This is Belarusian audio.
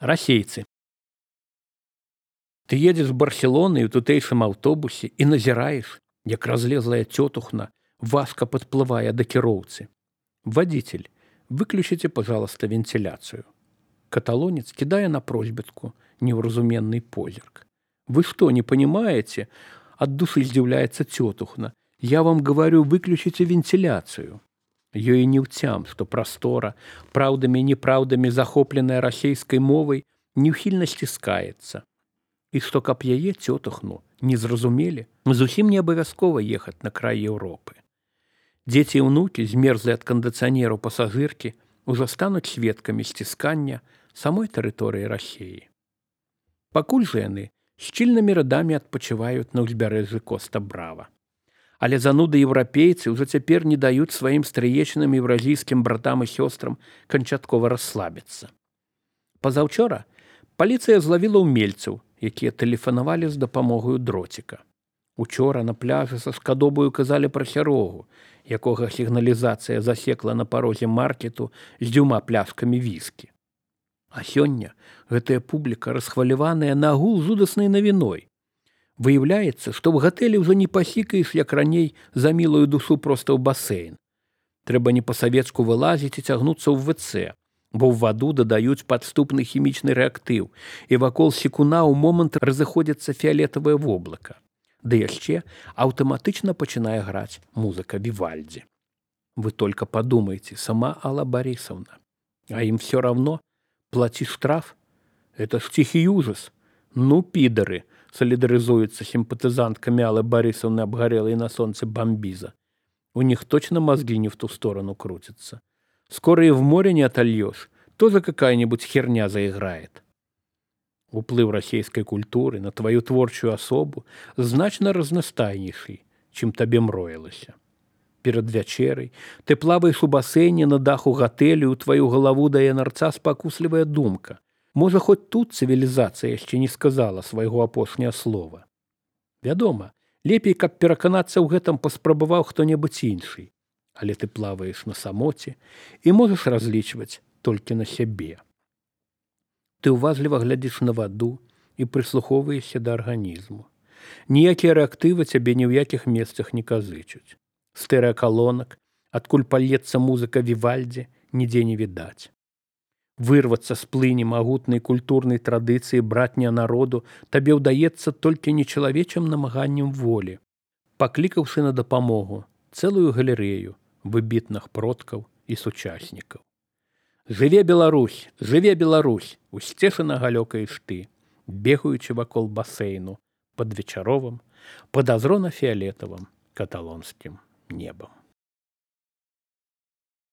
Расейцы. Ты едешь з Барселоны ў тутэйшым аўтобусе і назіраеш, як разлезлая цётухна важка падплывае да кіроўцы. Водитель, выключите, пожалуйста, вентиляцию. Каталонец кидая на просьбитку невразуменный позерк. Вы что, не понимаете? От души издивляется тетухна. Я вам говорю, выключите вентиляцию. Ее и не втям, что простора, правдами и неправдами захопленная российской мовой, неухильно стискается. И что каб яе тетухну не зразумели, зусім не абавязкова ехать на край Европы. Дети и внуки, змерзлые от кондиционеру пассажирки, уже станут сведками стискання самой тэрыторыі России. Пакуль жа яны шчыльнымі радамі адпачываюць на ўзбярэжжы Коста-Брава. Але зануды еўрапейцы ўжо цяпер не даюць сваім стрыечным еўразійскім братам і сёстрам канчаткова расслабіцца. Пазаўчора паліцыя злавіла ўмельцаў, якія тэлефанавалі з дапамогаю дроціка. Учора на пляжы са скадобаю казалі пра сярогу, якога сігналізацыя засекла на парозе маркету з 2 пляшкамі віскі. А сёння гэтая публіка расхваляваная на агул жудаснай навіной. Выяўляецца, што ў гатэлі ўжо не пасікаеш, як раней, за мілую душу проста ў басейн. Трэба не па-савецку вылазіць і цягнуцца ў ВЦ, бо ў ваду дадаюць падступны хімічны рэактыў, і вакол секуна ў момант разыходзіцца фіялетавае воблака. Ды яшчэ аўтаматычна пачынае граць музыка Вівальдзі. Вы только подумайте, сама Алла Борисовна. А им все равно. Плати штраф. Это ж тихий ужас. Ну, пидоры, солидаризуются симпатизантками Аллы Борисовны, обгорелой на солнце бомбиза. У них точно мозги не в ту сторону крутятся. Скоро и в море не отольешь. Тоже какая-нибудь херня заиграет. Уплыв российской культуры на твою творчую особу значно разнастайнейший, чым табе мроілася. Перад вячэрай ты плаваеш у басейне на даху гатэлю, у тваю галаву дае нарца спакуслівая думка. Можа, хоць тут цывілізацыя яшчэ не сказала свайго апошняе слова. Вядома, лепей, каб пераканацца ў гэтым паспрабаваў хто-небудзь іншы. Але ты плаваеш на самоце і можаш разлічваць толькі на сябе. Ты уважліва глядзіш на ваду і прыслухоўваешся да арганізму. Ніякія рэактывы цябе ні ў якіх месцах не казычуць. Стэрэакалонак, адкуль пальецца музыка Вівальдзі, нідзе не відаць. Вырвацца з плыні магутнай культурнай традыцыі братня народу табе ўдаецца толькі нечалавечым намаганнем волі, паклікаўшы на дапамогу цэлую галерэю выбітных продкаў і сучаснікаў. Жыве Беларусь, жыве Беларусь, усцешана галёкаеш ты, бегаючы вакол басейну пад вечаровым, падазрона-фіялетавым каталонскім небом.